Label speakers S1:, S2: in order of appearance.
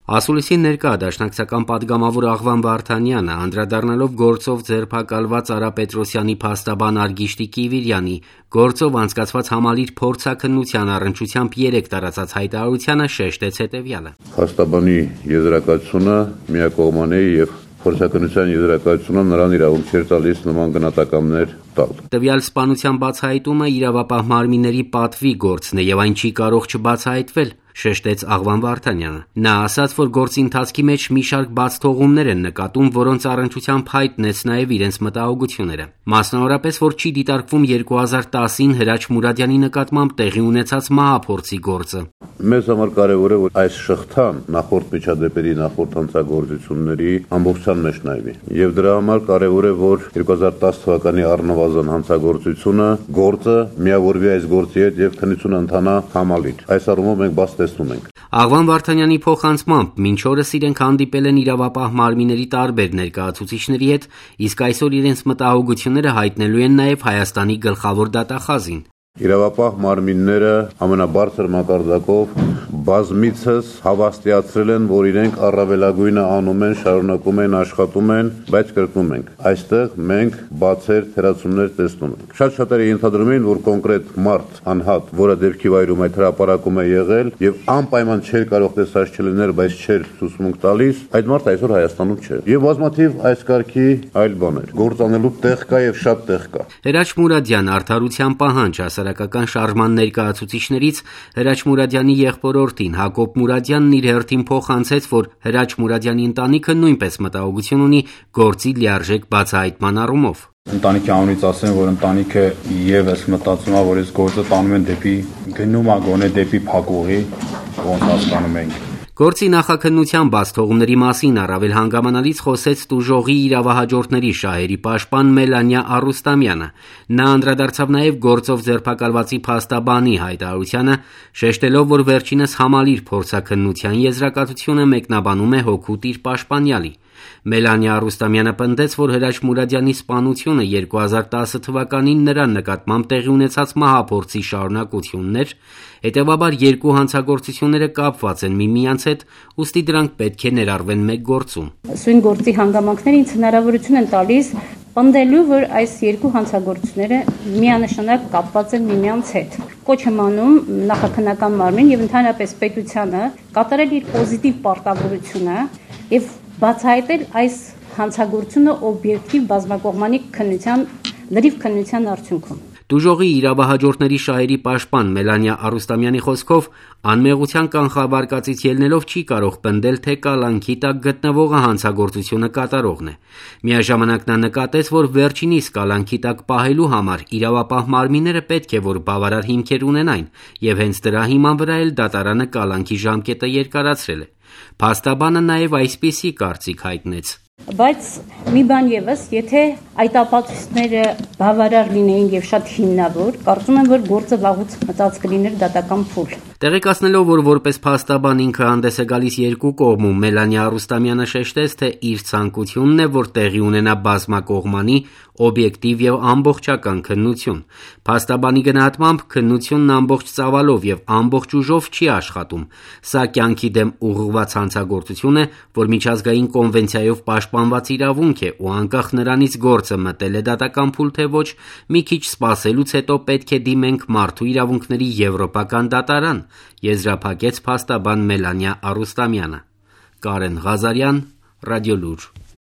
S1: Ասուլիսի ներկա դաշնակցական պատգամավոր Աղվան Վարդանյանը, անդրադառնալով գործով ձերբակալված Արա Պետրոսյանի փաստաբան Արգիշտի Կիվիրյանի գործով անցկացված համալիր փորձաքննության առնչությամբ 3 տարածած հայտարարությանը շեշտեց հետևյալը.
S2: Փաստաբանի եզրակացությունը միակողմանի է եւ փորձաքննության եզրակացությունը նրան իրավունք չէր տալիս նման գնահատականներ տալ.
S1: Տվյալ սպանության բացահայտումը իրավապահ մարմինների պատվի գործն է եւ այն չի կարող չբացահայտվել, շեշտեց Աղվան Վարդանյանը։ Նա ասաց, որ գործի ընթացքի մեջ մի շարք բացթողումներ են նկատում, որոնց առնչությամբ հայտնեց նաև իրենց մտահոգությունները։ Մասնավորապես, որ չի դիտարկվում 2010-ին Հրաչ Մուրադյանի նկատմամբ տեղի ունեցած մահափորձի գործը։
S2: Մեզ համար կարևոր է, որ այս շղթան նախորդ միջադեպերի, նախորդ հանցագործությունների ամբողջության մեջ նայվի։ Եվ դրա համար կարևոր է, որ 2010 թվականի առնվազն հանցագործությունը գործը միավորվի այս գործի հետ եւ քննությունը ընթանա համալիր։ Այս առումով մենք բաց տեսնում ենք։
S1: Աղվան Վարդանյանի փոխանցմամբ մինչ օրս իրենք հանդիպել են իրավապահ մարմինների տարբեր ներկայացուցիչների հետ, իսկ այսօր իրենց մտահոգությունները հայտնելու են նաև Հայաստանի գլխավոր դատախազին։
S2: Իրավապահ մարմինները ամենաբարձր մակարդակով բազմիցս հավաստիացրել են, որ իրենք առավելագույնը անում են, շարունակում են, աշխատում են, բայց կրկնում ենք, այստեղ մենք բացեր թերացումներ տեսնում ենք։ Շատ-շատերը ենթադրում են, որ կոնկրետ մարդ, անհատ, որը դեպքի վայրում այդ հրապարակում է եղել եւ անպայման չէր կարող տեսած չլինել, բայց չէր ցուցմունք տալիս, այդ մարդը այսօր Հայաստանում չէ։ Եվ բազմաթիվ այս կարգի այլ բաներ։ Գործանելու տեղ կա եւ շատ տեղ կա։
S1: Հրաչ Մուրադյան արդարության պահանջ հասարակական շարժման ներկայացուցիչներից Հրաչ Մուրադյանի եղբորորդին Հակոբ Մուրադյանն իր հերթին փոխանցեց, որ Հրաչ Մուրադյանի ընտանիքը նույնպես մտահոգություն ունի գործի լիարժեք բացահայտման առումով։
S3: Ընտանիքի անունից ասեմ, որ ընտանիքը եւս մտածում է, որ այս գործը տանում են դեպի գնում է գոնե դեպի փակուղի, ոնց հասկանում ենք։
S1: Գործի նախաքննության բացթողումների մասին առավել հանգամանալից խոսեց տուժողի իրավահաջորդների շահերի պաշտպան Մելանիա Արուստամյանը։ Նա անդրադարձավ նաև գործով ձերբակալվածի փաստաբանի հայտարարությանը, շեշտելով, որ վերջինս համալիր փորձաքննության եզրակացությունը մեկնաբանում է հօգուտ իր պաշտպանյալի։ Մելանիա Արուստամյանը պնդեց, որ Հրաչ Մուրադյանի սպանությունը 2010 թվականին նրան նկատմամբ տեղի ունեցած մահափորձի շարունակությունն էր, հետևաբար երկու հանցագործությունները կապված են միմյանց հետ, ուստի դրանք պետք է ներառվեն մեկ գործում։
S4: Սույն գործի հանգամանքները ինձ հնարավորություն են տալիս պնդելու, որ այս երկու հանցագործությունները միանշանակ կապված են միմյանց հետ։ Կոչ եմ անում նախաքննական մարմին եւ ընդհանրապես պետությանը կատարել իր պոզիտիվ պարտավորությունը եւ բացահայտել այս հանցագործությունը օբյեկտիվ բազմակողմանի քննության, լրիվ քննության արդյունքում։
S1: Տուժողի իրավահաջորդների շահերի պաշտպան Մելանիա Արուստամյանի խոսքով անմեղության կանխավարկածից ելնելով չի կարող պնդել, թե կալանքի տակ գտնվողը հանցագործությունը կատարողն է։ Միաժամանակ նա նկատեց, որ վերջինիս կալանքի տակ պահելու համար իրավապահ մարմինները պետք է որ բավարար հիմքեր ունենային, եւ հենց դրա հիման վրա էլ դատարանը կալանքի ժամկետը երկարացրել է։ Փաստաբանը նաև այսպիսի կարծիք հայտնեց.
S4: Բայց մի բան եւս, եթե այդ ապացույցները բավարար լինեին եւ շատ հիմնավոր, կարծում եմ, որ գործը վաղուց մտած կլիներ դատական փուլ։
S1: Տեղեկացնելով, որ որպես փաստաբան ինքը հանդես է գալիս երկու կողմում, Մելանիա Արուստամյանը շեշտեց, թե իր ցանկությունն է, որ տեղի ունենա բազմակողմանի, օբյեկտիվ եւ ամբողջական քննություն։ Փաստաբանի գնահատմամբ քննությունն ամբողջ ծավալով եւ ամբողջ ուժով չի աշխատում։ Սա կյանքի դեմ ուղղված հանցագործություն է, որ միջազգային կոնվենցիայով պաշտպանված իրավունք է ու անկախ նրանից գործը մտել է դատական փուլ թե ոչ, մի քիչ սպասելուց հետո պետք է դիմենք մարդու իրավունքների եվրոպական դատարան, եզրափակեց փաստաբան Մելանիա Արուստամյանը։ Կարեն Ղազարյան, Ռադիոլուր։